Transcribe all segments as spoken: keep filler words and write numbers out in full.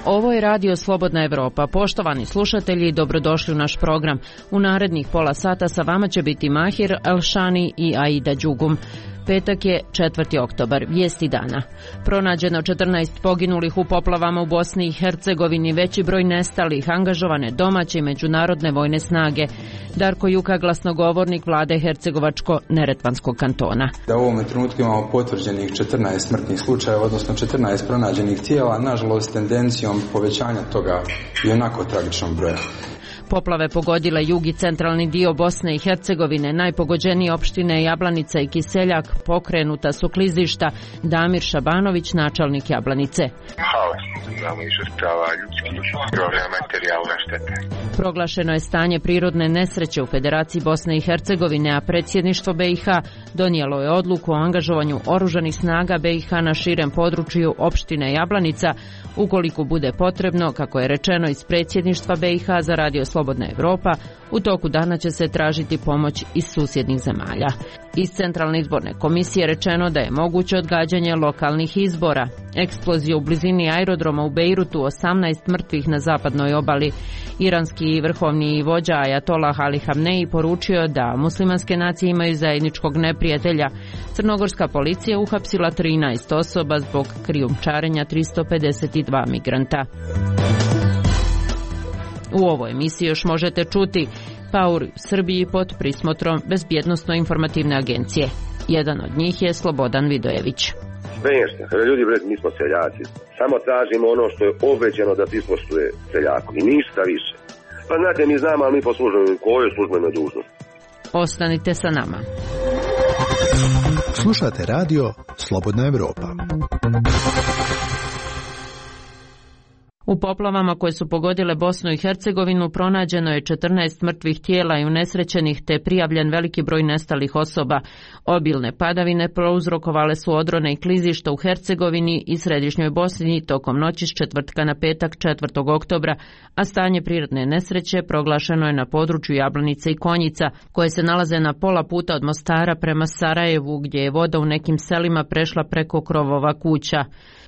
Ovo je Radio Slobodna Evropa. Poštovani slušatelji, dobrodošli u naš program. U narednih pola sata sa vama će biti Mahir Elšani i Aida Đugum. Petak je četvrti oktobar, vijesti dana. Pronađeno četrnaest poginulih u poplavama u Bosni i Hercegovini, veći broj nestalih, angažovane domaće i međunarodne vojne snage. Darko Juka, glasnogovornik vlade Hercegovačko-Neretvanskog kantona. Da u ovom trenutku imamo potvrđenih četrnaest smrtnih slučajeva, odnosno četrnaest pronađenih tijela, nažalost tendencijom povećanja toga i onako tragičnog broja. Poplave pogodile jug i centralni dio Bosne i Hercegovine, najpogođenije opštine Jablanica i Kiseljak, pokrenuta su klizišta. Damir Šabanović, načelnik Jablanice. Imamo i žrtava ljudskih i materijalne štete. Proglašeno je stanje prirodne nesreće u Federaciji Bosne i Hercegovine, a predsjedništvo B i H donijelo je odluku o angažovanju oružanih snaga B i H na širem području opštine Jablanica, ukoliko bude potrebno, kako je rečeno iz predsjedništva B i H za Radio Slobodna Evropa, u toku dana će se tražiti pomoć iz susjednih zemalja. Iz Centralne izborne komisije rečeno da je moguće odgađanje lokalnih izbora. Eksplozija u blizini aerodroma u Bejrutu, osamnaest mrtvih na zapadnoj obali. Iranski vrhovni vođa Ajatolah Ali Hamneji poručio da muslimanske nacije imaju zajedničkog neprijatelja. Crnogorska policija uhapsila trinaest osoba zbog krijumčarenja tristo pedeset dva migranta. U ovoj emisiji još možete čuti paori u Srbiji pod prismotrom Bezbjednosno-informativne agencije. Jedan od njih je Slobodan Vidojević. Smiješno, ljudi, bre, mi smo seljaci. Samo tražimo ono što je obećano da ispoštuje seljaku i ništa više. Pa znate, mi znamo, ali mi poslužujemo kojoj službenoj dužnosti. Ostanite sa nama. Slušate radio Slobodna Evropa. U poplavama koje su pogodile Bosnu i Hercegovinu pronađeno je četrnaest mrtvih tijela i unesrećenih, te prijavljen veliki broj nestalih osoba. Obilne padavine prouzrokovale su odrone i klizišta u Hercegovini i središnjoj Bosni tokom noći s četvrtka na petak četvrtog oktobra, a stanje prirodne nesreće proglašeno je na području Jablanice i Konjica, koje se nalaze na pola puta od Mostara prema Sarajevu, gdje je voda u nekim selima prešla preko krovova kuća.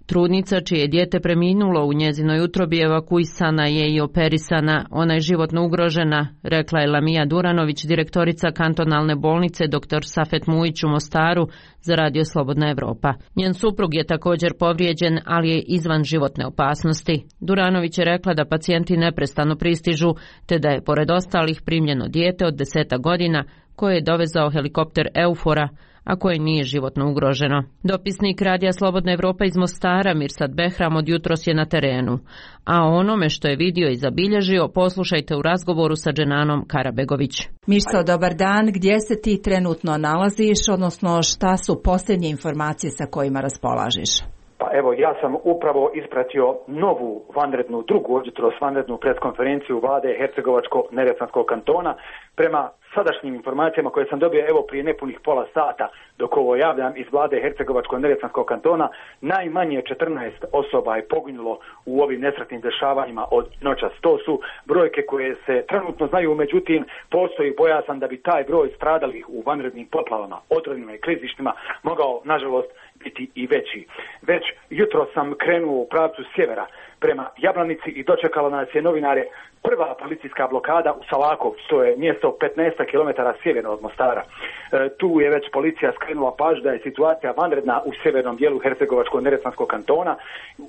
Trudnica čije je dijete preminulo u njezinoj utrobi evakuisana je i operisana. Ona je životno ugrožena, rekla je Lamija Duranović, direktorica kantonalne bolnice dr Safet Mujić u Mostaru za Radio Slobodna Evropa. Njen suprug je također povrijeđen, ali je izvan životne opasnosti. Duranović je rekla da pacijenti neprestano pristižu, te da je pored ostalih primljeno dijete od deseta godina koje je dovezao helikopter Eufora, a koje nije životno ugroženo. Dopisnik Radija Slobodna Evropa iz Mostara, Mirsad Behram, od jutros je na terenu. A o onome što je vidio i zabilježio poslušajte u razgovoru sa Dženanom Karabegović. Mirso, dobar dan. Gdje se ti trenutno nalaziš, odnosno šta su posljednje informacije sa kojima raspolažiš? Pa evo, ja sam upravo ispratio novu vanrednu, drugu jutros vanrednu preskonferenciju vlade Hercegovačko-Neretvanskog kantona. Prema sadašnjim informacijama koje sam dobio evo prije nepunih pola sata dok ovo javljam iz vlade Hercegovačko-Neretvanskog kantona, najmanje četrnaest osoba je poginulo u ovim nesretnim dešavanjima od noćas. To su brojke koje se trenutno znaju, međutim postoji bojazan da bi taj broj stradalih u vanrednim poplavama, odronima i klizištima mogao nažalost biti i veći. Već jutro sam krenuo u pravcu sjevera prema Jablanici i dočekala nas je, novinare, prva policijska blokada u Salakovcu, to je mjesto petnaest kilometara sjeverno od Mostara. E, tu je već policija skrenula pažnju da je situacija vanredna u sjevernom dijelu Hercegovačko-Neretvanskog kantona.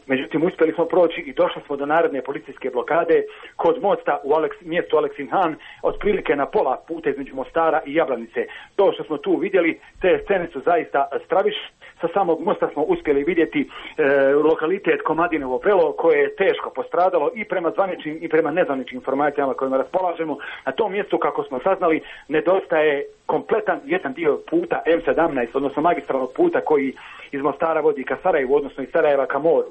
Međutim, uspjeli smo proći i došli smo do naredne policijske blokade kod mosta u Aleks, mjestu Aleksinhan, otprilike na pola puta između Mostara i Jablanice. To što smo tu vidjeli, te scene su zaista stravične. Sa samog mosta smo uspjeli vidjeti e, lokalitet Komadinovo Brelo, koje je teško postradalo i prema zvaničnim i prema nezvaničnim informacijama kojima raspolažemo. Na tom mjestu, kako smo saznali, nedostaje kompletan jedan dio puta M sedamnaest, odnosno magistralnog puta koji iz Mostara vodi ka Sarajevu, odnosno iz Sarajeva ka moru.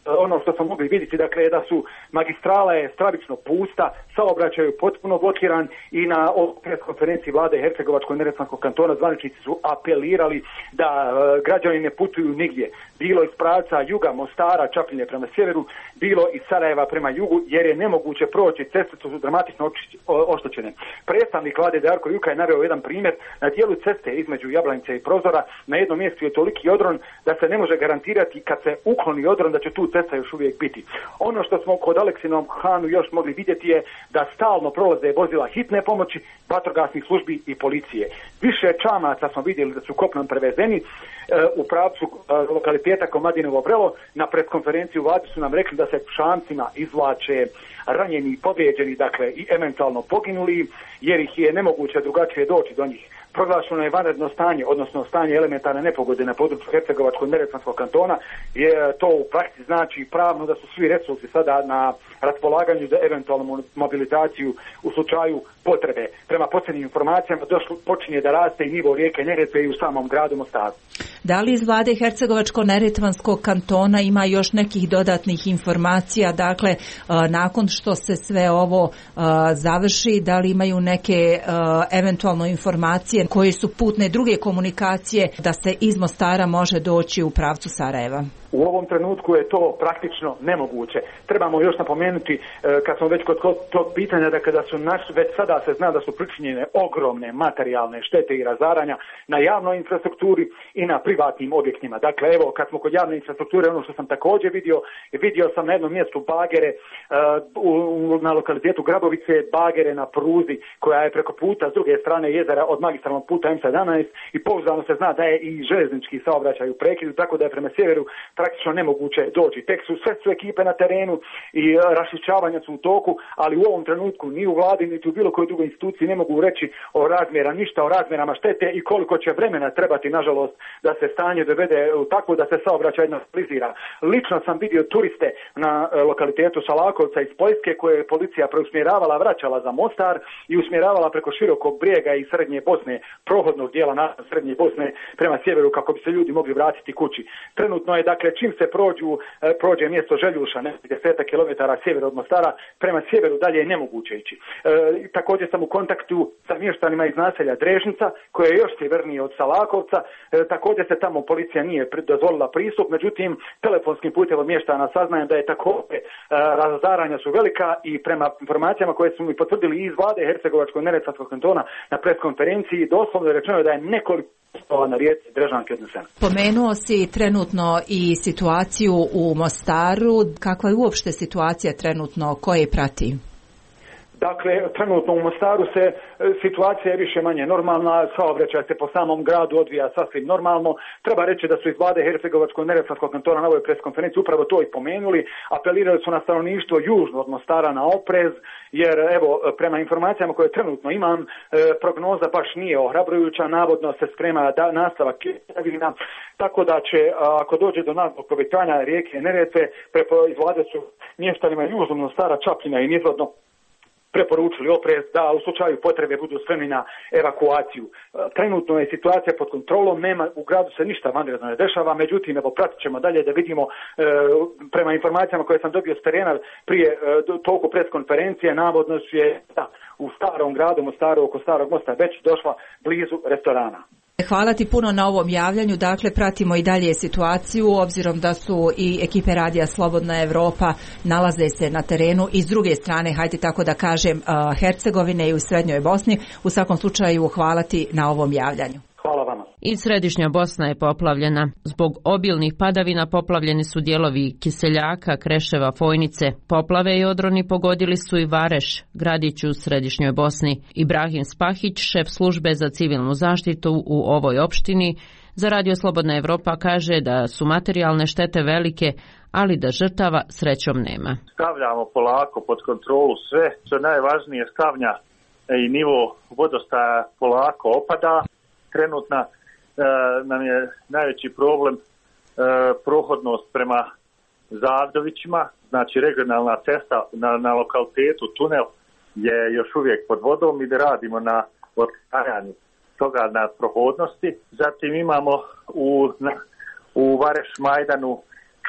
ono što smo mogli vidjeti, dakle, da su magistrala je stravično pusta, saobraćaj je potpuno blokiran i na pres konferenciji vlade Hercegovačko-neretvanskog kantona zvaničnici su apelirali da e, građani ne putuju nigdje. Bilo iz pravca juga, Mostara, Čapljine prema sjeveru, bilo iz Sarajeva prema jugu, jer je nemoguće proći, ceste su dramatično oštećene. Predstavnik vlade Darko Juka je naveo jedan primjer, na dijelu ceste između Jablanice i Prozora, na jednom mjestu je toliki odron da se ne može garantirati kad se ukloni odron da će tu cesta još uvijek biti. Ono što smo kod Aleksinom Hanu još mogli vidjeti je da stalno prolaze vozila hitne pomoći, vatrogasnih službi i policije. Više čamaca smo vidjeli da su kopnom prevezeni e, u pravcu e, lokaliteta Komadinovo Vrelo. Na preskonferenciji u vladi su nam rekli da se šancima izvlače ranjeni i povrijeđeni, dakle i eventualno poginuli, jer ih je nemoguće drugačije doći do njih. Proglašeno je vanredno stanje, odnosno stanje elementarne nepogode na području Hercegovačko-neretvanskog kantona, je to u praksi znači pravno da su svi resursi sada na raspolaganju za eventualnu mobilizaciju u slučaju potrebe. Prema posljednjim informacijama došlo, počinje da raste i nivo rijeke Neretve i u samom gradu Mostaru. Da li iz vlade Hercegovačko-neretvanskog kantona ima još nekih dodatnih informacija, dakle nakon što se sve ovo završi, da li imaju neke eventualno informacije koje su putne druge komunikacije da se iz Mostara može doći u pravcu Sarajeva? U ovom trenutku je to praktično nemoguće. Trebamo još napomenuti, kad smo već kod tog pitanja, da kada su naš, već sada se zna da su pričinjene ogromne materijalne štete i razaranja na javnoj infrastrukturi i na privatnim objektima. Dakle, evo, kad smo kod javne infrastrukture, ono što sam također vidio, vidio sam na jednom mjestu bagere uh, na lokalitetu Grabovice, bagere na pruzi koja je preko puta s druge strane jezera od magistralnog puta M sedamnaest i pouzdano se zna da je i željeznički saobraćaj u prekidu, tako da je prema sjeveru praktično nemoguće doći. Tek su sve su ekipe na terenu i raščišćavanja su u toku, ali u ovom trenutku ni u vladi, niti u bilo kojoj drugoj instituciji ne mogu reći o razmjera, ništa o razmjerama štete i koliko će vremena trebati, nažalost, da se stanje dovede tako da se saobraćaj normalizira. Lično sam vidio turiste na lokalitetu Salakovca iz Poljske koje je policija preusmjeravala, vraćala za Mostar i usmjeravala preko širokog brijega i srednje Bosne, prohodnog dijela na srednje Bosne prema sjeveru kako bi se ljudi mogli vratiti kući. Trenutno je, dakle, čim se prođu, prođe mjesto Željuša, nekih desetak kilometara sjever od Mostara, prema sjeveru dalje je nemoguće ići. E, također sam u kontaktu sa mještanima iz naselja Drežnica, koje je još sjevernije od Salakovca. E, također se tamo policija nije dozvolila pristup, međutim, telefonskim putem od mještana saznajem da je također e, razaranja su velika i prema informacijama koje su mi potvrdili iz vlade Hercegovačko-neretvanskog kantona na preskonferenciji, doslovno je rečeno da je nekoliko na rijeci Drežanke odneseno. Pomenuo si trenutno i situaciju u Mostaru. Kakva je uopšte situacija trenutno, ko je prati? Dakle, trenutno u Mostaru se situacija je više manje normalna, saobraćaj se po samom gradu odvija sasvim normalno. Treba reći da su iz vlade Hercegovačko-neretvanskog kantona na ovoj preskonferenciji upravo to i pomenuli. Apelirali su na stanovništvo južno od Mostara na oprez, jer evo, prema informacijama koje trenutno imam, prognoza baš nije ohrabrujuća, navodno se sprema da nastavak kiševina, tako da će, ako dođe do naglog povećanja rijeke Neretve, iz vlade su mještanima južno Mostara, Čapljina i nizvodno preporučili oprez da u slučaju potrebe budu spremni na evakuaciju. Trenutno je situacija pod kontrolom, nema, u gradu se ništa vanredno ne dešava, međutim, evo, pratit ćemo dalje da vidimo, e, prema informacijama koje sam dobio s terena prije e, toliko preskonferencije, navodno je da, u starom gradu Mostaru, oko Starog mosta, već došla blizu restorana. Hvala ti puno na ovom javljanju. Dakle, pratimo i dalje situaciju, obzirom da su i ekipe Radija Slobodna Evropa nalaze se na terenu i s druge strane, hajde tako da kažem, Hercegovine i u Srednjoj Bosni. U svakom slučaju, hvala ti na ovom javljanju. Hvala vama. I Središnja Bosna je poplavljena. Zbog obilnih padavina poplavljeni su dijelovi Kiseljaka, Kreševa, Fojnice. Poplave i odroni pogodili su i Vareš, gradić u Središnjoj Bosni. Ibrahim Spahić, šef službe za civilnu zaštitu u ovoj opštini, za Radio Slobodna Evropa kaže da su materijalne štete velike, ali da žrtava srećom nema. Stavljamo polako pod kontrolu sve, što najvažnije stavnja i nivo vodostaja polako opada. Trenutna e, nam je najveći problem e, prohodnost prema Zavdovićima, znači regionalna cesta na, na lokalitetu tunel je još uvijek pod vodom i da radimo na otklanjanju toga na prohodnosti. Zatim imamo u, na, u Vareš Majdanu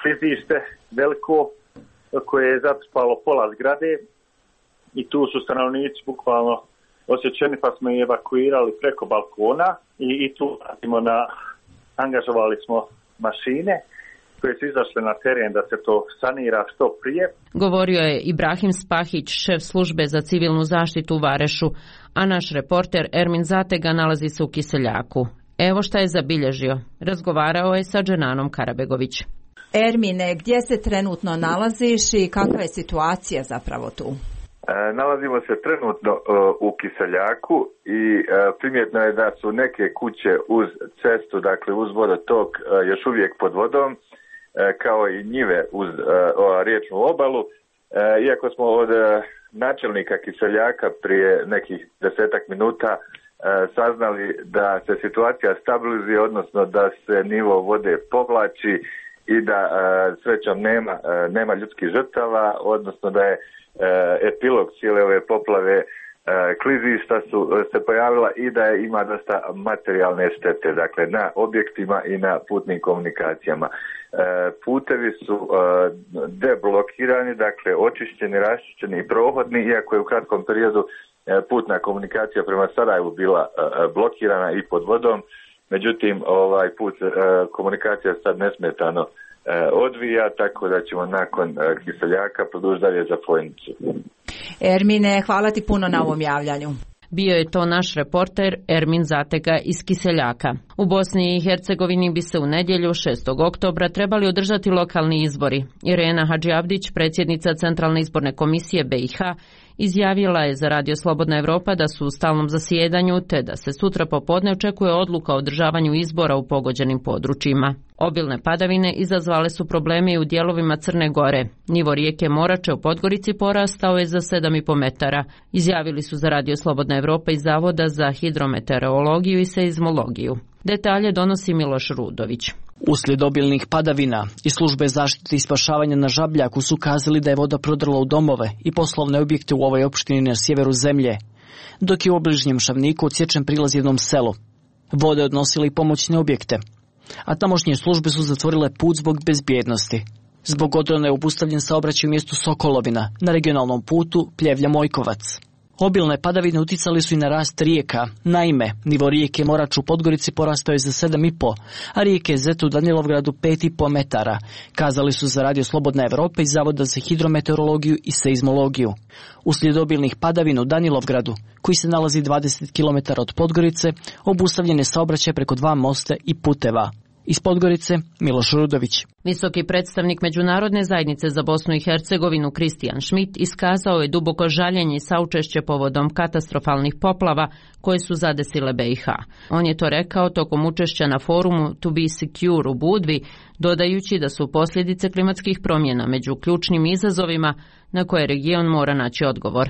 klizište veliko koje je zatrpalo pola zgrade i tu su stanovnici bukvalno osjećeni, pa smo ih evakuirali preko balkona i, i tu radimo na, angažovali smo mašine koje su izašle na teren da se to sanira što prije. Govorio je Ibrahim Spahić, šef službe za civilnu zaštitu u Varešu, a naš reporter Ermin Zatega nalazi se u Kiseljaku. Evo šta je zabilježio. Razgovarao je sa Dženanom Karabegović. Ermine, gdje se trenutno nalaziš i kakva je situacija zapravo tu? E, nalazimo se trenutno e, u Kiseljaku i e, primjetno je da su neke kuće uz cestu, dakle uz vodotok, e, još uvijek pod vodom, e, kao i njive uz e, o, riječnu obalu. E, iako smo od e, načelnika Kiseljaka prije nekih desetak minuta e, saznali da se situacija stabilizuje, odnosno da se nivo vode povlači i da e, srećom nema, e, nema ljudskih žrtava, odnosno da je epilog cijele ove poplave, klizišta su se pojavila i da ima dosta materijalne štete, dakle na objektima i na putnim komunikacijama. Putevi su deblokirani, dakle očišćeni, raščišćeni i prohodni, iako je u kratkom periodu putna komunikacija prema Sarajevu bila blokirana i pod vodom. Međutim, ovaj put komunikacija sad nesmetano odvija, tako da ćemo nakon Kiseljaka produžiti dalje za Fojnicu. Ermine, hvala ti puno na ovom javljanju. Bio je to naš reporter Ermin Zatega iz Kiseljaka. U Bosni i Hercegovini bi se u nedjelju šestog oktobra trebali održati lokalni izbori. Irena Hadžiavdić, predsjednica Centralne izborne komisije B i H, izjavila je za Radio Slobodna Evropa da su u stalnom zasjedanju te da se sutra popodne očekuje odluka o održavanju izbora u pogođenim područjima. Obilne padavine izazvale su probleme i u dijelovima Crne Gore. Nivo rijeke Morače u Podgorici porastao je za sedam i po metara. Izjavili su za Radio Slobodna Evropa iz Zavoda za hidrometeorologiju i seizmologiju. Detalje donosi Miloš Rudović. Uslijed obilnih padavina i službe zaštite i spašavanja na Žabljaku su kazali da je voda prodrla u domove i poslovne objekte u ovoj opštini na sjeveru zemlje, dok je u obližnjem Šavniku odsječen prilaz jednom selu. Voda je odnosila i pomoćne objekte, a tamošnje službe su zatvorile put zbog bezbjednosti. Zbog odrona je obustavljen saobraćaj u mjestu Sokolovina na regionalnom putu Pljevlja-Mojkovac. Obilne padavine uticali su i na rast rijeka. Naime, nivo rijeke Morač u Podgorici porastao je za sedam i po, a rijeke Zet u Danilovgradu pet i po metara, kazali su za Radio Slobodna Evropa iz Zavoda za hidrometeorologiju i seizmologiju. Uslijed obilnih padavina u Danilovgradu, koji se nalazi dvadeset kilometara od Podgorice, obustavljen je saobraćaj preko dva mosta i puteva. Iz Podgorice, Miloš Rudović. Visoki predstavnik Međunarodne zajednice za Bosnu i Hercegovinu Kristijan Schmidt iskazao je duboko žaljenje i saučešće povodom katastrofalnih poplava koje su zadesile B i H. On je to rekao tokom učešća na forumu To be secure u Budvi, dodajući da su posljedice klimatskih promjena među ključnim izazovima na koje region mora naći odgovor.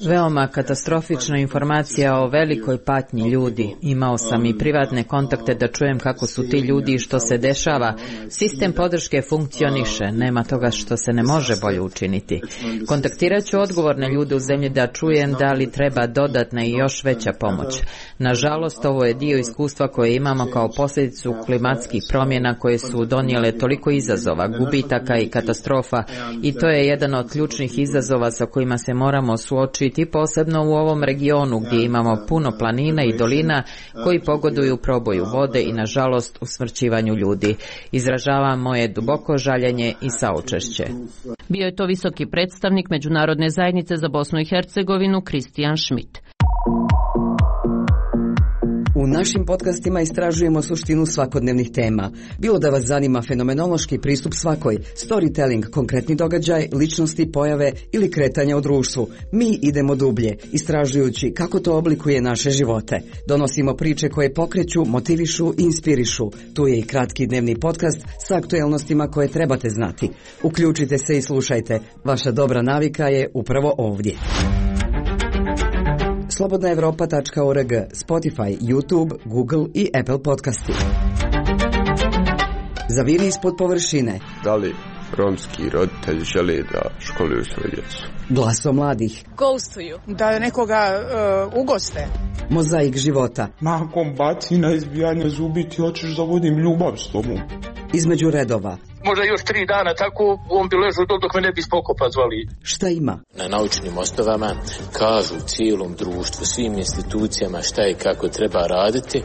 Veoma katastrofična informacija o velikoj patnji ljudi. Imao sam i privatne kontakte da čujem kako su ti ljudi i što se dešava. Sistem podrške funkcioniše, nema toga što se ne može bolje učiniti. Kontaktirat ću odgovorne ljude u zemlji da čujem da li treba dodatna i još veća pomoć. Nažalost, ovo je dio iskustva koje imamo kao posljedicu klimatskih promjena koje su donijele toliko izazova, gubitaka i katastrofa, i to je jedan od ključnih izazova sa kojima se moramo suočiti, posebno u ovom regionu gdje imamo puno planina i dolina koji pogoduju proboju vode i nažalost usmrćivanju ljudi. Izražavam moje duboko žaljenje i saučešće. Bio je to visoki predstavnik Međunarodne zajednice za Bosnu i Hercegovinu Kristijan Schmidt. U našim podcastima istražujemo suštinu svakodnevnih tema. Bilo da vas zanima fenomenološki pristup svakoj, storytelling, konkretni događaj, ličnosti, pojave ili kretanja u društvu, mi idemo dublje, istražujući kako to oblikuje naše živote. Donosimo priče koje pokreću, motivišu i inspirišu. Tu je i kratki dnevni podcast sa aktuelnostima koje trebate znati. Uključite se i slušajte. Vaša dobra navika je upravo ovdje. slobodna evropa tačka org, Spotify, YouTube, Google i Apple podcasti. Zaviri ispod površine. Da li romski roditelji žele da školuju svoju djecu? Glasom mladih. Ghostuju. Da nekoga uh, ugoste. Mozaik života. Nakon bacina, izbijanja zubi, ti hoćeš da vodim ljubav s tobom. Između redova. Možda još tri dana tako, on bi ležao dok, dok me ne bi spokopa zvali. Šta ima? Na naučnim osnovama kažu cijelom društvu, svim institucijama šta i kako treba raditi.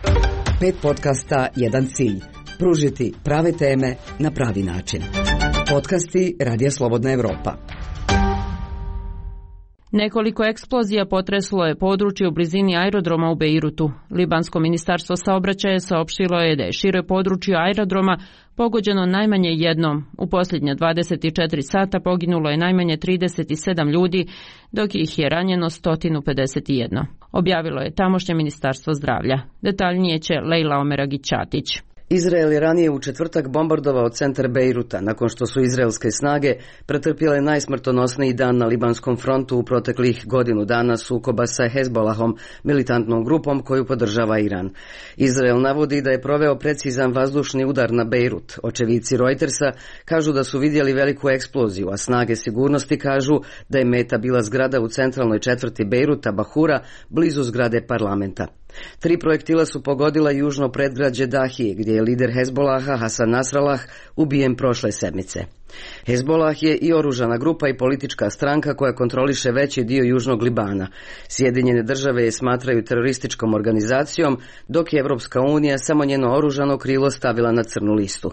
Pet podcasta, jedan cilj. Pružiti prave teme na pravi način. Podcasti Radija Slobodna Evropa. Nekoliko eksplozija potreslo je područje u blizini aerodroma u Bejrutu. Libansko ministarstvo saobraćaja saopštilo je da je šire područje aerodroma pogođeno najmanje jednom. U posljednje dvadeset četiri sata poginulo je najmanje trideset sedam ljudi, dok ih je ranjeno sto pedeset jedan. Objavilo je tamošnje ministarstvo zdravlja. Detaljnije će Lejla Omeragić-Ćatić. Izrael je ranije u četvrtak bombardovao centar Bejruta nakon što su izraelske snage pretrpjele najsmrtonosniji dan na libanskom frontu u proteklih godinu dana sukoba sa Hezbolahom, militantnom grupom koju podržava Iran. Izrael navodi da je proveo precizan vazdušni udar na Bejrut. Očevici Reutersa kažu da su vidjeli veliku eksploziju, a snage sigurnosti kažu da je meta bila zgrada u centralnoj četvrti Bejruta, Bahura, blizu zgrade parlamenta. Tri projektila su pogodila južno predgrađe Dahije, gdje je lider Hezbolaha Hasan Nasrallah ubijen prošle sedmice. Hezbolah je i oružana grupa i politička stranka koja kontroliše veći dio južnog Libana. Sjedinjene države je smatraju terorističkom organizacijom, dok je Evropska unija samo njeno oružano krilo stavila na crnu listu.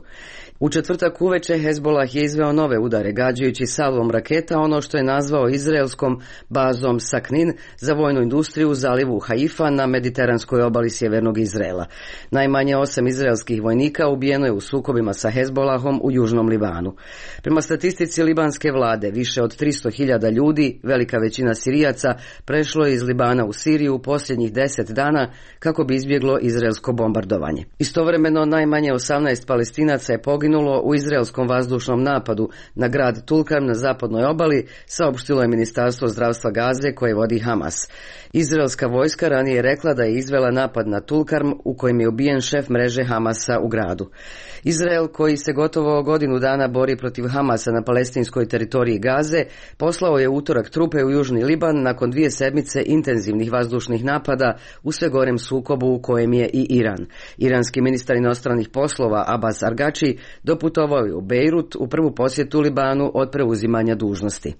U četvrtak uveče Hezbolah je izveo nove udare, gađajući salvom raketa ono što je nazvao izraelskom bazom Saknin za vojnu industriju u zalivu Haifa na mediteranskoj obali sjevernog Izraela. Najmanje osam izraelskih vojnika ubijeno je u sukobima sa Hezbolahom u južnom Libanu. Prema statistici libanske vlade, više od tristo hiljada ljudi, velika većina Sirijaca, prešlo je iz Libana u Siriju u posljednjih deset dana kako bi izbjeglo izraelsko bombardovanje. Istovremeno najmanje osamnaest Palestinaca je poginulo u izraelskom vazdušnom napadu na grad Tulkarm na zapadnoj obali, saopštilo je Ministarstvo zdravstva Gaze koje vodi Hamas. Izraelska vojska ranije rekla da je izvela napad na Tulkarm u kojem je ubijen šef mreže Hamasa u gradu. Izrael, koji se gotovo godinu dana bori protiv Hamasa na palestinskoj teritoriji Gaze, poslao je utorak trupe u južni Liban nakon dvije sedmice intenzivnih vazdušnih napada u sve gorem sukobu u kojem je i Iran. Iranski ministar inostranih poslova Abbas Argači doputovao je u Bejrut u prvu posjetu Libanu od preuzimanja dužnosti.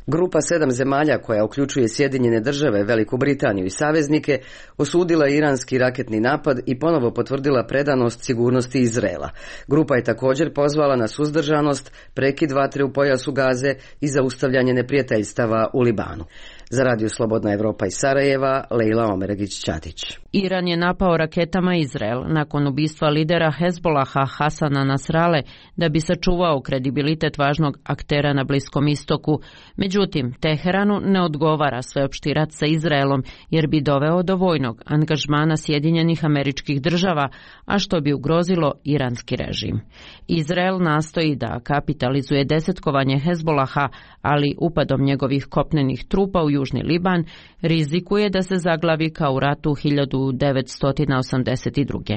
Grupa sedam zemalja koja uključuje Sjedinjene države, Veliku Britaniju i saveznike osudila iranski raketni napad i ponovo potvrdila predanost sigurnosti Izraela. Grupa je također pozvala na suzdržanost, prekid vatre u pojasu Gaze i zaustavljanje neprijateljstava u Libanu. Za Radio Slobodna Evropa iz Sarajeva, Lejla Omeragić-Ćatić. Iran je napao raketama Izrael nakon ubistva lidera Hezbolaha Hasana Nasrale da bi sačuvao kredibilitet važnog aktera na Bliskom istoku. Međutim, Teheranu ne odgovara sveopšti rat sa Izraelom jer bi doveo do vojnog angažmana Sjedinjenih Američkih Država, a što bi ugrozilo iranski režim. Izrael nastoji da kapitalizuje desetkovanje Hezbolaha, ali upadom njegovih kopnenih trupa u južni Liban rizikuje da se zaglavi kao u ratu hiljadu devetsto osamdeset druge.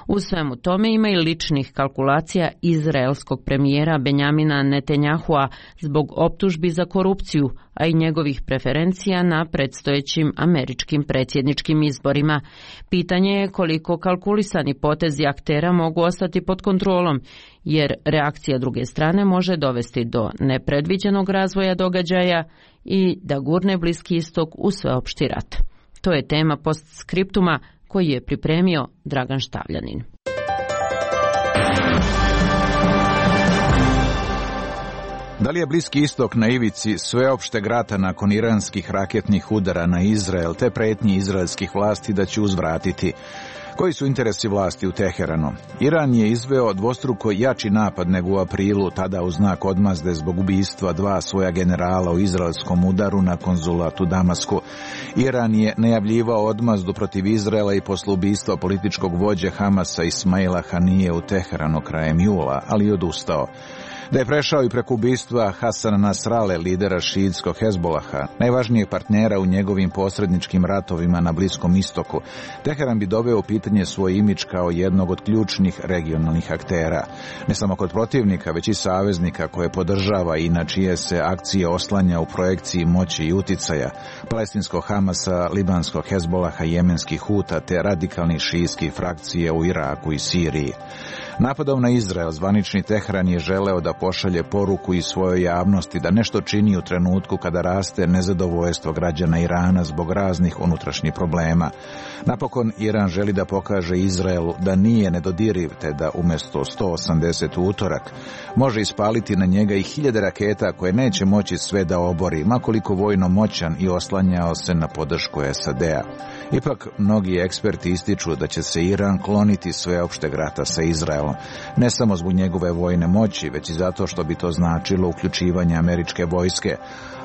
U svemu tome ima i ličnih kalkulacija izraelskog premijera Benjamina Netanjahua zbog optužbi za korupciju, a i njegovih preferencija na predstojećim američkim predsjedničkim izborima. Pitanje je koliko kalkulisani potezi aktera mogu ostati pod kontrolom, jer reakcija druge strane može dovesti do nepredviđenog razvoja događaja i da gurne Bliski istok u sveopšti rat. To je tema postskriptuma koji je pripremio Dragan Štavljanin. Da li je Bliski istok na ivici sveopšteg rata nakon iranskih raketnih udara na Izrael te pretnji izraelskih vlasti da će uzvratiti? Koji su interesi vlasti u Teheranu? Iran je izveo dvostruko jači napad nego u aprilu, tada u znak odmazde zbog ubistva dva svoja generala u izraelskom udaru na konzulat u Damasku. Iran je najavljivao odmazdu protiv Izraela i posle ubistva političkog vođe Hamasa Ismaila Hanije u Teheranu krajem jula, ali je odustao. Da je prešao i preko ubistva Hasana Nasrale, lidera šiitskog Hezbolaha, najvažnijeg partnera u njegovim posredničkim ratovima na Bliskom istoku, Teheran bi doveo u pitanje svoj imidž kao jednog od ključnih regionalnih aktera. Ne samo kod protivnika, već i saveznika koje podržava i na čije se akcije oslanja u projekciji moći i uticaja, palestinskog Hamasa, libanskog Hezbolaha, jemenskih Huta te radikalnih šiitskih frakcije u Iraku i Siriji. Napadom na Izrael zvanični Teheran je želeo da pošalje poruku i svojoj javnosti da nešto čini u trenutku kada raste nezadovoljstvo građana Irana zbog raznih unutrašnjih problema. Napokon Iran želi da pokaže Izraelu da nije nedodiriv, te da umjesto sto osamdeset utorak može ispaliti na njega i hiljade raketa koje neće moći sve da obori, makoliko vojno moćan i oslanjao se na podršku S A D-a. Ipak, mnogi eksperti ističu da će se Iran kloniti sveopšteg rata sa Izraelom, ne samo zbog njegove vojne moći, već i zato što bi to značilo uključivanje američke vojske,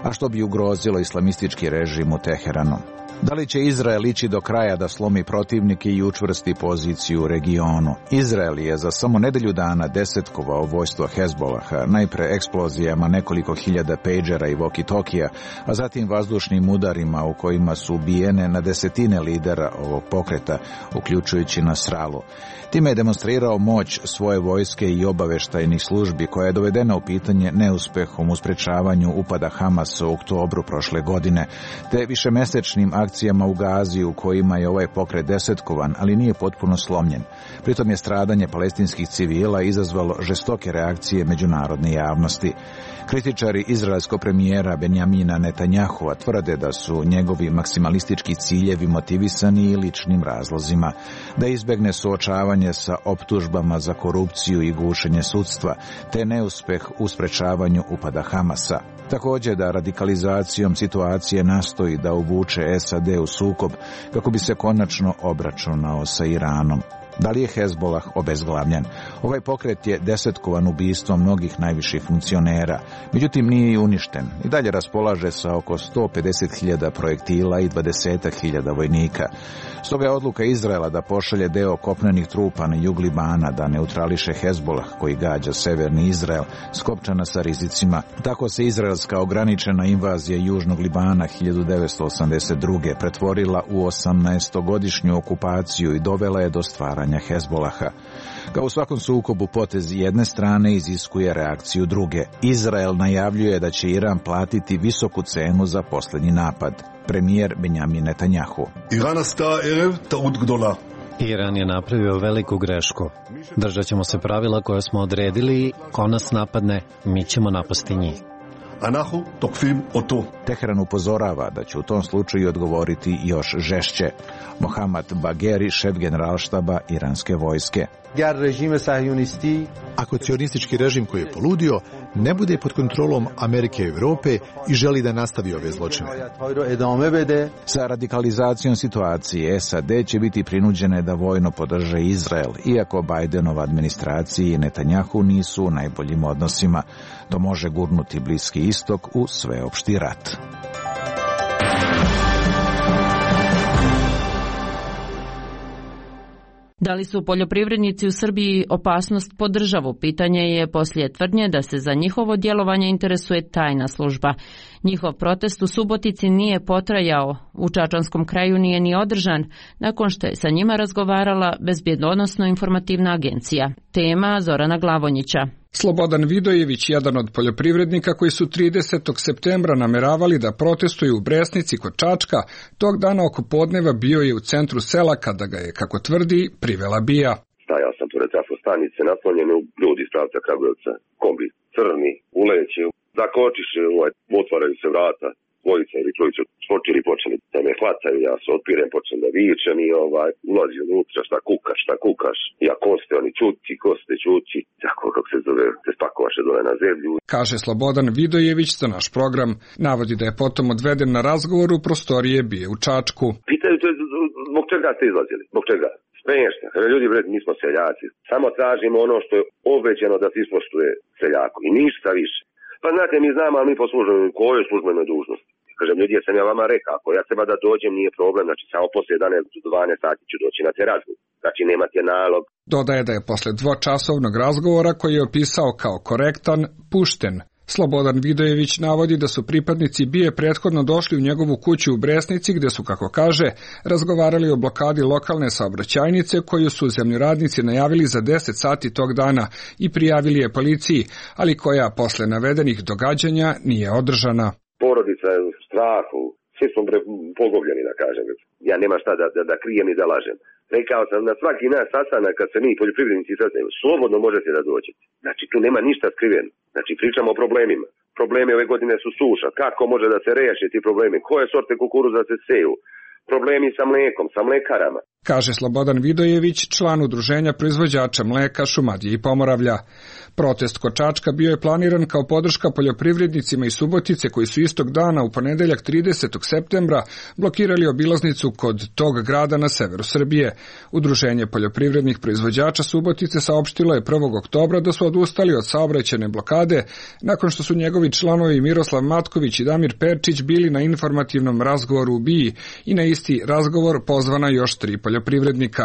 a što bi ugrozilo islamistički režim u Teheranu. Da li će Izrael ići do kraja da slomi protivnike i učvrsti poziciju u regionu? Izrael je za samo nedelju dana desetkovao vojstvo Hezbolaha, najpre eksplozijama nekoliko hiljada pejđera i walkie-talkija, a zatim vazdušnim udarima u kojima su ubijene na desetine lidera ovog pokreta, uključujući Nasralu. Time je demonstrirao moć svoje vojske i obaveštajnih službi, koja je dovedena u pitanje neuspehom u sprečavanju upada Hamasa u oktobru prošle godine, te višemesečnim akcijama u Gazi u kojima je ovaj pokret desetkovan, ali nije potpuno slomljen. Pritom je stradanje palestinskih civila izazvalo žestoke reakcije međunarodne javnosti. Kritičari izraelskog premijera Benjamina Netanjahua tvrde da su njegovi maksimalistički ciljevi motivisani i ličnim razlozima, da izbegne suočavanje sa optužbama za korupciju i gušenje sudstva, te neuspeh u sprečavanju upada Hamasa. Također da radikalizacijom situacije nastoji da uvuče S A D u sukob kako bi se konačno obračunao sa Iranom. Da li je Hezbolah obezglavljen? Ovaj pokret je desetkovan ubistvom mnogih najviših funkcionera, međutim nije i uništen. I dalje raspolaže sa oko sto pedeset hiljada projektila i dvadeset hiljada vojnika. Stoga je odluka Izraela da pošalje deo kopnenih trupa na jug Libana da neutrališe Hezbolah koji gađa severni Izrael, skopčana sa rizicima. Tako se izraelska ograničena invazija južnog Libana hiljadu devetsto osamdeset druge pretvorila u osamnaestogodišnju okupaciju i dovela je do stvaranja Hezbolaha. Kao u svakom sukobu, potez jedne strane iziskuje reakciju druge. Izrael najavljuje da će Iran platiti visoku cenu za posljednji napad. Premijer Benjamin Netanjahu. Iran je napravio veliku grešku. Držat ćemo se pravila koje smo odredili. Ko nas napadne, mi ćemo napasti njih. Teheran upozorava da će u tom slučaju odgovoriti još žešće. Mohammad Bagheri, šef generalštaba iranske vojske. Ako cionistički režim koji je poludio ne bude pod kontrolom Amerike i Europe i želi da nastavi ove zločine. Sa radikalizacijom situacije S A D će biti prinuđene da vojno podrže Izrael, iako Bidenova administraciji i Netanjahu nisu u najboljim odnosima. To može gurnuti Bliski istok u sveopšti rat. Da li su poljoprivrednici u Srbiji opasnost po državu? Pitanje je poslije tvrdnje da se za njihovo djelovanje interesuje tajna služba. Njihov protest u Subotici nije potrajao, u Čačanskom kraju nije ni održan, nakon što je sa njima razgovarala Bezbjedonosno-informativna agencija. Tema Zorana Glavonjića. Slobodan Vidojević, jedan od poljoprivrednika koji su tridesetog septembra nameravali da protestuju u Bresnici kod Čačka, tog dana oko podneva bio je u centru sela kada ga je, kako tvrdi, privela BIA. Stajao sam pored trafostanice, naslonjeni ljudi iz pravca Kragujevca, kombi crni, uleće, zakočiše, ovaj, otvaraju se vrata, dvojica ili trojica skočili, počeli da me hvataju, ja se otpirem, počnem da vičem i ovaj, ulazi unutra, šta kukaš, šta kukaš, ja ko ste, oni čuti, ko ste čuti, tako kako se zove, se spakovaše dole na zemlju. Kaže Slobodan Vidojević za naš program, navodi da je potom odveden na razgovor u prostorije BIA u Čačku. Pitaju te, zbog čega ste izlazili, zbog čega? Smiješno, ljudi, bre, mi smo seljaci, samo tražimo ono što je obećano da se ispoštuje seljaku i ništa više. Pa znate, mi znamo, ali mi po službenoj, kojoj službenoj dužnosti. Kažem, ljudi, ja sam ja vama rekao, ako ja treba da dođem, nije problem, znači samo poslije jedanaest do dvanaest sati ću doći na te razgovor. Znači, nemate nalog. Dodaje da je posle dvočasovnog razgovora, koji je opisao kao korektan, pušten. Slobodan Vidojević navodi da su pripadnici BIA prethodno došli u njegovu kuću u Bresnici, gde su, kako kaže, razgovarali o blokadi lokalne saobraćajnice koju su zemljoradnici najavili za deset sati tog dana i prijavili je policiji, ali koja posle navedenih događanja nije održana. Porodica je u strahu, svi smo pogubljeni, da kažem. Ja nema šta da, da, da krijem i da lažem. Rekao sam na svaki naš sastanak kad se mi poljoprivrednici sastanemo, slobodno možete da dođete. Znači tu nema ništa skriveno. Znači pričamo o problemima. Problemi ove godine su suša. Kako može da se reši ti problemi? Koje sorte kukuruza se seju? Problemi sa mlekom, sa mlekarama. Kaže Slobodan Vidojević, član udruženja proizvođača mleka Šumadije i Pomoravlja. Protest kod Čačka bio je planiran kao podrška poljoprivrednicima iz Subotice koji su istog dana u ponedeljak tridesetog septembra blokirali obilaznicu kod tog grada na severu Srbije. Udruženje poljoprivrednih proizvođača Subotice saopštilo je prvog oktobra da su odustali od saobraćajne blokade nakon što su njegovi članovi Miroslav Matković i Damir Perčić bili na informativnom razgovoru u B I i na isti razgovor pozvana još tri poljoprivrednika.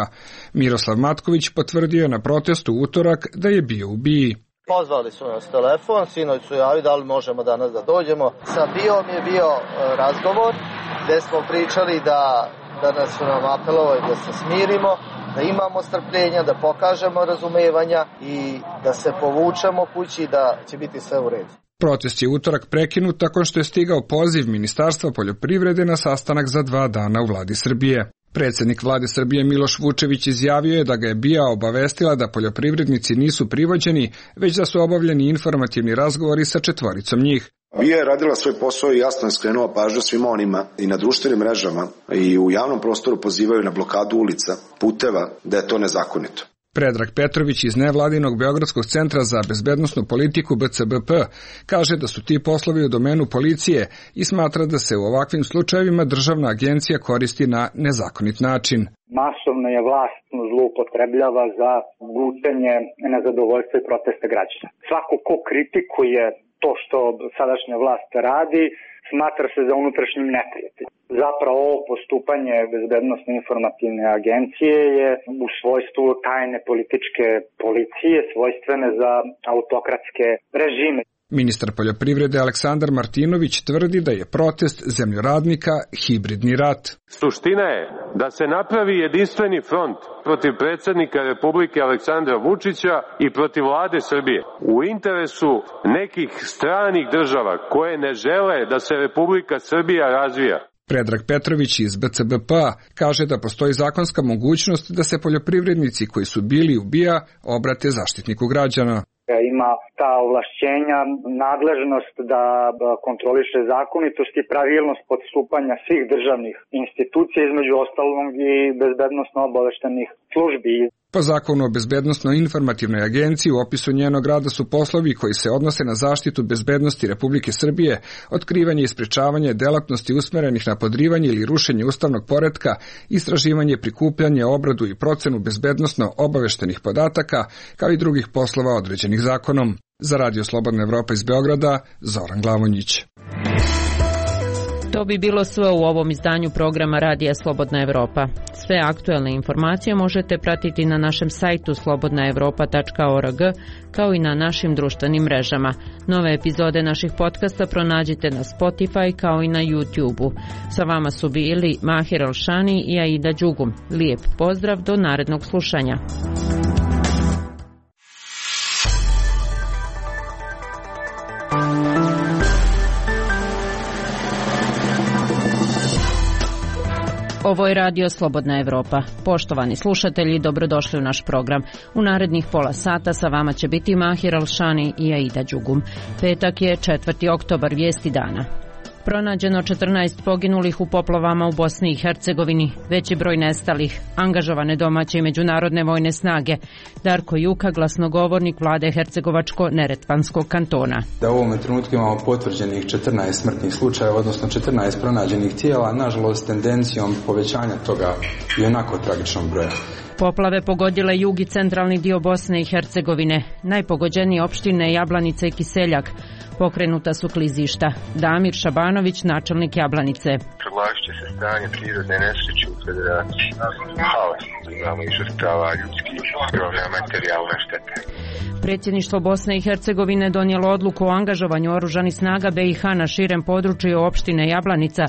Miroslav Matković potvrdio je na protestu utorak da je bio u B I. Pozvali su nas telefon, sinoć su javi da li možemo danas da dođemo. Sa B I-om je bio razgovor gde smo pričali da, da nas su nam apelovali da se smirimo, da imamo strpljenja, da pokažemo razumevanja i da se povučemo kući, da će biti sve u redu. Protest je utorak prekinut tako što je stigao poziv Ministarstva poljoprivrede na sastanak za dva dana u vladi Srbije. Predsjednik vlade Srbije Miloš Vučević izjavio je da ga je B I A obavestila da poljoprivrednici nisu privođeni, već da su obavljeni informativni razgovori sa četvoricom njih. B I A je radila svoj posao i jasno je skrenula pažnju svima onima i na društvenim mrežama i u javnom prostoru pozivaju na blokadu ulica, puteva, da je to nezakonito. Predrag Petrović iz nevladinog Beogradskog centra za bezbednosnu politiku B C B P kaže da su ti poslovi u domenu policije i smatra da se u ovakvim slučajevima državna agencija koristi na nezakonit način. Masovno je vlast zloupotrebljava za gutenje nezadovoljstva i protesta građana. Svako ko kritikuje to što sadašnja vlast radi, smatra se za unutrašnjim neprijateljem. Zapravo ovo postupanje bezbednosne informativne agencije je u svojstvu tajne političke policije, svojstvene za autokratske režime. Ministar poljoprivrede Aleksandar Martinović tvrdi da je protest zemljoradnika hibridni rat. Suština je da se napravi jedinstveni front protiv predsjednika Republike Aleksandra Vučića i protiv vlade Srbije u interesu nekih stranih država koje ne žele da se Republika Srbija razvija. Predrag Petrović iz B C B P-a kaže da postoji zakonska mogućnost da se poljoprivrednici koji su bili u B I A obrate zaštitniku građana. Ima ta ovlašćenja, nadležnost da kontroliše zakonitost i pravilnost postupanja svih državnih institucija, između ostalog i bezbednosno obaveštenih službi. Po zakonu o bezbednosno-informativnoj agenciji u opisu njenog rada su poslovi koji se odnose na zaštitu bezbednosti Republike Srbije, otkrivanje i sprečavanje delatnosti usmerenih na podrivanje ili rušenje ustavnog poretka, istraživanje, prikupljanje, obradu i procenu bezbednosno-obaveštenih podataka, kao i drugih poslova određenih zakonom. Za Radio Slobodna Evropa iz Beograda, Zoran Glavonjić. To bi bilo sve u ovom izdanju programa Radija Slobodna Evropa. Sve aktuelne informacije možete pratiti na našem sajtu slobodna evropa tačka org, kao i na našim društvenim mrežama. Nove epizode naših podcasta pronađite na Spotify kao i na YouTube-u. Sa vama su bili Mahir Alšani i Aida Đugum. Lijep pozdrav do narednog slušanja. Ovo je Radio Slobodna Evropa. Poštovani slušatelji, dobrodošli u naš program. U narednih pola sata sa vama će biti Mahir Alšani i Aida Đugum. Petak je četvrti oktobar, vijesti dana. Pronađeno četrnaest poginulih u poplavama u Bosni i Hercegovini, veći broj nestalih, angažovane domaće i međunarodne vojne snage. Darko Juka, glasnogovornik vlade Hercegovačko-Neretvanskog kantona. Da u ovom trenutku imamo potvrđenih četrnaest smrtnih slučajeva, odnosno četrnaest pronađenih tijela, nažalost tendencijom povećanja toga i onako tragičnog broja. Poplave pogodile jug i centralni dio Bosne i Hercegovine. Najpogođenije opštine Jablanica i Kiseljak. Pokrenuta su klizišta. Damir Šabanović, načelnik Jablanice. Proglasit će se stanje prirodne nesreće u Federaciji. Haos. Imamo i žrtava ljudskih, ogromna materijalna šteta. Predsjedništvo Bosne i Hercegovine donijelo odluku o angažovanju oružanih snaga B i H na širem području opštine Jablanica,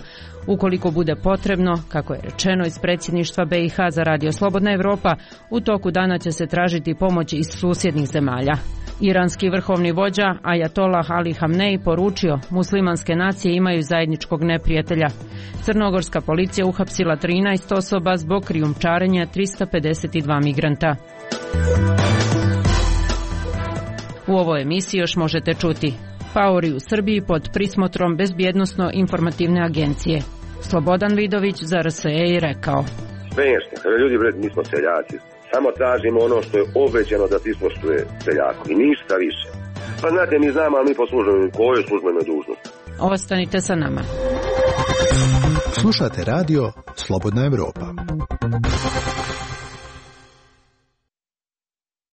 ukoliko bude potrebno, kako je rečeno iz predsjedništva B i H za Radio Slobodna Evropa, u toku dana će se tražiti pomoć iz susjednih zemalja. Iranski vrhovni vođa Ajatolah Ali Hamnej poručio, muslimanske nacije imaju zajedničkog neprijatelja. Crnogorska policija uhapsila trinaest osoba zbog krijumčarenja trista pedeset dva migranta. U ovoj emisiji još možete čuti: paori u Srbiji pod prismotrom Bezbjednosno-informativne agencije. Slobodan Vidović za R S E je rekao: smešno, ljudi, bre, mi smo seljaci. Samo tražimo ono što je obećano da ispoštuje seljako i ništa više. Pa znate, mi znamo, ali mi po službenoj, kojoj službenoj dužnosti. Ostanite sa nama. Slušate radio Slobodna Evropa.